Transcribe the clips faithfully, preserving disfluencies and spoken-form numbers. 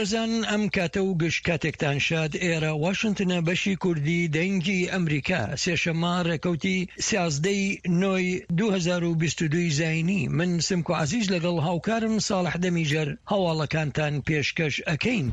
بەڕێزان ئەم کاتە و گشت کاتێکتان شاد. ئێرە واشنتنە، بەشی کوردی دەنگی ئەمریکا. سێشەممە ڕێکەوتی سیازدەی نۆی دوو هەزار و بیست و دوو زایینی، من سمکۆ عەزیز لەگەڵ هاوکارم ساڵح دەمیجەر هەواڵەکانتان پێشکەش ئەکەین.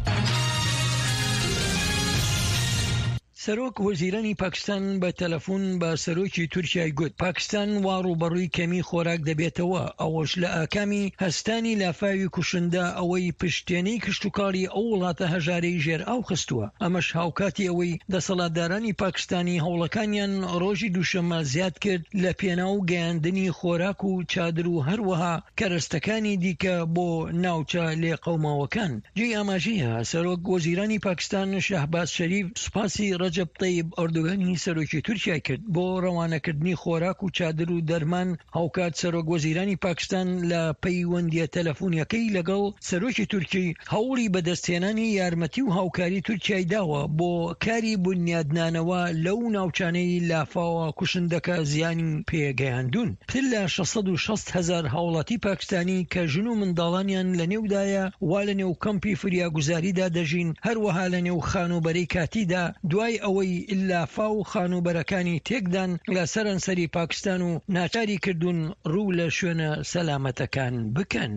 سەرۆک وەزیرانی پاکستان بە تەلەفۆن بە سەرۆکی تورکیای گوت پاکستان وا ڕووبەڕووی کەمی خۆراک دەبێتەوە، ئەوەش لە ئاکامی هەستانی لافاوی کوشندە ئەوەی پشتێنەی کشتتوکاڵی ئەو وڵاتە هەژارەی ژێر ئاو خستووە. ئەمەش هاوکاتی ئەوەی دەسەڵاتدارانی پاکستانی هەوڵەکانیان ڕۆژی دووشەممە زیاد کرد لە پێناو گەیاندنی خۆراک و چادر و هەروەها کەرەستەکانی دیکە بۆ ناوچە لێقەوماوەکان. جێی ئاماژەیە سەرۆک وەزیرانی پاکستان شەهباز شەریف سوپاسی ڕەجەب تەیب ئەردۆگانی سەرۆکی تورکیای کرد بۆ ڕەوانەکردنی خۆراک و چادر و دەرمان. هاوکات سەرۆک وەزیرانی پاکستان لە پەیوەندیە تەلەفۆنیەکەی لەگەڵ سەرۆکی تورکی هەوڵی بەدەستهێنانی یارمەتی و هاوکاری تورکیای داوە بۆ کاری بنیادنانەوە لەو ناوچانەی لافاوە کوشندەکە زیانی پێگەیاندون. پتر لە شەش سەد و شەست هەزار هاوڵاتی پاکستانی کە ژن و منداڵانیان لە نێودایە وا لە نێو کەمپی فریاگوزاریدا دەژین، هەروەها لە نێو خانووبەرەی کاتیدا، دوای ئەوەی لافاو خانووبەرەکانی تێکدان لە سەرانسەری پاکستان و ناچاری کردوون ڕوو لە شوێنە سەلامەتەکان بکەن.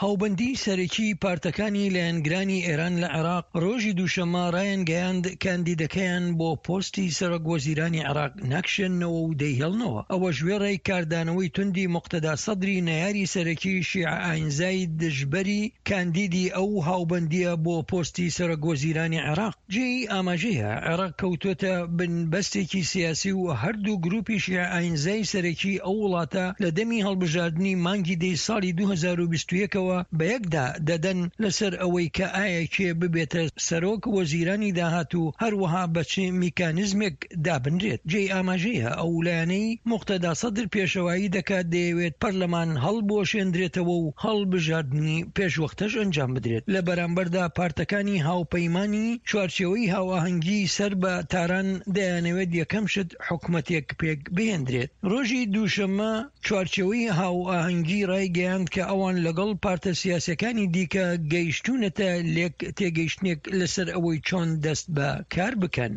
هاوبەندی سەرەکی پارتەکانی لایەنگرانی ئێران لە عێراق ڕۆژی دووشەممە ڕایانگەیاند کاندیدەکەیان بۆ پۆستی سەرۆک وەزیرانی عێراق ناکشێننەوە و دەیهێڵنەوە، ئەوەش وێڕای کاردانەوەی توندی موقتەدا سەدری نەیاری سەرەکی شیعە ئاینزای دژبەری کاندیدی ئەو هاوبەندیە بۆ پۆستی سەرۆک وەزیرانی عێراق. جێی ئاماژەیە عێراق کەوتۆتە بن بەستێکی سیاسی و هەردوو گروپی شیعە ئاینزای سەرەکی ئەو وڵاتە لە دەمی هەڵبژاردنی مانگی دەی ساڵی دوو هەزار و بیست و یەک بەیەکدا دەدەن لەسەر ئەوەی کە ئایا کێ ببێتە سەرۆک وەزیرانی داهاتوو، هەروەها بە چ میکانزمێک دابنرێت. جێی ئاماژەیە ئەو لایەنەی موقتەدا سەدر پێشەوایی دەکات دەیەوێت پەرلەمان هەڵبوەشێندرێتەوە و هەڵبژاردنی پێشوەختەش ئەنجام بدرێت. لە بەرامبەردا پارتەکانی هاوپەیمانی چوارچێوەی هاوئاهەنگی سەر بە تاران دەیانەوێت یەکەم شت حکومەتێک پێک بهێندرێت. ڕۆژی دووشەممە چوارچێوەی هاوئاهەنگی ڕایگەیاند کە ئەوان لەگەڵ پارتە سیاسەکانی دیکە گەیشتونەتە لێک تێگەیشتنێک لەسەر ئەوەی چۆن دەست بە کار بکەن.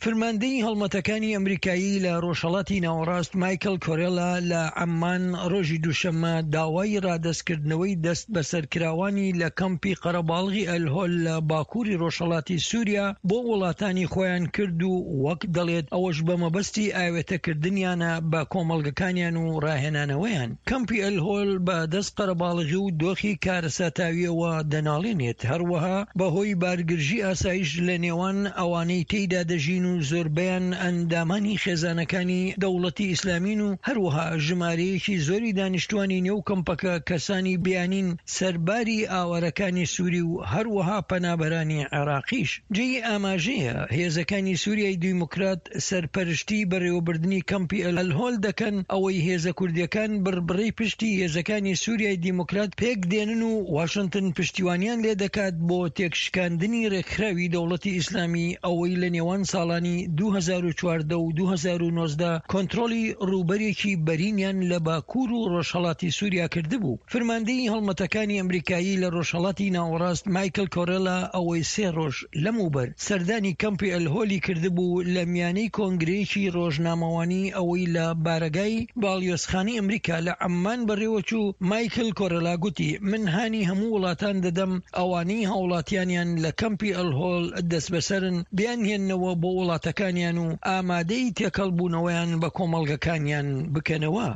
فرماندەی هەڵمەتەکانی ئەمریکایی لە ڕۆژهەڵاتی ناوەڕاست مایکل کۆرێلا لە عەممان ڕۆژی دووشەممە داوای ڕادەستکردنەوەی دەست بەسەرکراوانی لە کەمپی قەرەباڵغی ئەلهۆل لە باکووری ڕۆژهەڵاتی سووریا بۆ وڵاتانی خۆیان کرد و وەک دەڵێت ئەوەش بە مەبەستی ئاوێتەکردنیانە بە کۆمەڵگەکانیان و ڕاهێنانەوەیان. کەمپی ئەلهۆل بە دەست قەرەباڵغی و دۆخی کارەساتاویەوە دەناڵێنێت، هەروەها بەهۆی بارگرژی ئاسایش لە نێوان ئەوانەی تێیدا دەژین و زۆربەیان ئەندامانی خێزانەکانی دەوڵەتی ئیسلامین و هەروەها ژمارەیەکی زۆری دانیشتوانی نێو کەمپەکە کەسانی بیانین سەرباری ئاوارەکانی سووری و هەروەها پەنابەرانی عێراقیش. جێی ئاماژەیە هێزەکانی سووریای دیموکرات سەرپەرشتی بەڕێوەبردنی کەمپی ئەلهۆل دەکەن، ئەوەی هێزە کوردیەکان بڕبڕەی پشتی هێزەکانی سووریای دیموکرات پێک دێنن و واشنتن پشتیوانیان لێ دەکات بۆ تێکشکاندنی ڕێکخراوی دەوڵەتی ئیسلامی ئەوەی لە نێوان ساڵانی دوو هەزار و چواردە و دوو هەزار و نۆزدە کۆنترۆڵی ڕووبەرێکی بەرینیان لە باکوور و ڕۆژهەڵاتی سووریا کردبوو. فرماندەی هەڵمەتەکانی ئەمریکایی لە ڕۆژهەڵاتی ناوەڕاست مایکل کۆرێلا ئەوەی سێ ڕۆژ لەمەوبەر سەردانی کەمپی ئەلهۆلی کردبوو، لە میانەی کۆنگرەیەکی ڕۆژنامەوانی ئەوەی لە بارەگای باڵیۆزخانەی ئەمریکا لە عەممان بەڕێوەچوو، مایکل کۆرێلا گوتی من هانی هەموو وڵاتان دەدەم ئەوانەی هاوڵاتیانیان لە کەمپی ئەلهۆل دەستبەسەرن بیانهێننەوە بۆ وڵاتەکانیان و ئامادەی تێکەڵبوونەوەیان بە کۆمەڵگەکانیان بکەنەوە.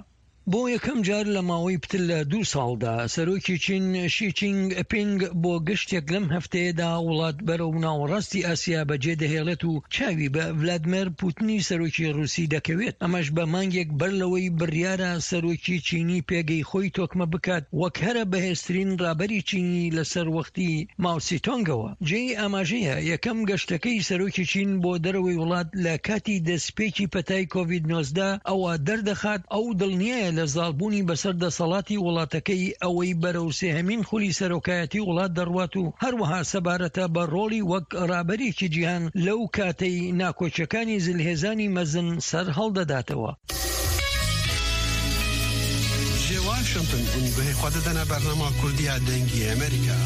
بۆ یەکەم جار لە ماوەی پتر لە دوو ساڵدا سەرۆکی چین شی چینگ پینگ بۆ گەشتێک لەم هەفتەیەدا وڵات بەرەو ناوەڕاستی ئاسیا بەجێ دەهێڵێت و چاوی بە ڤلادیمێر پوتنی سەرۆکی ڕووسی دەکەوێت، ئەمەش بە مانگێک بەر لەوەی بڕیارە سەرۆکی چینی پێگەی خۆی تۆکمە بکات وەک هەرە بەهێزترین ڕابەری چینی لەسەر وەختی ماوسیتۆنگەوە. جێی ئاماژەیە یەکەم گەشتەکەی سەرۆکی چین بۆ دەرەوەی وڵات لە کاتی دەستپێکی پەتای کۆڤید نۆزدە ئەوە دەردەخات ئەو دڵنیایە لە زاڵبوونی بەسەر دەسەڵاتی وڵاتەکەی ئەوەی بەرەو سێهەمین خولی سەرۆکایەتی وڵات دەڕوات و هەروەها سەبارەتە بە ڕۆڵی وەک ڕابەرێکی جیهان لەو کاتەی ناکۆکیەکانی زلهێزانی مەزن سەر هەڵدەداتەوە. Ji Washington hûn guhê xwe didine bernama Kurdiya Dengê Amerîka.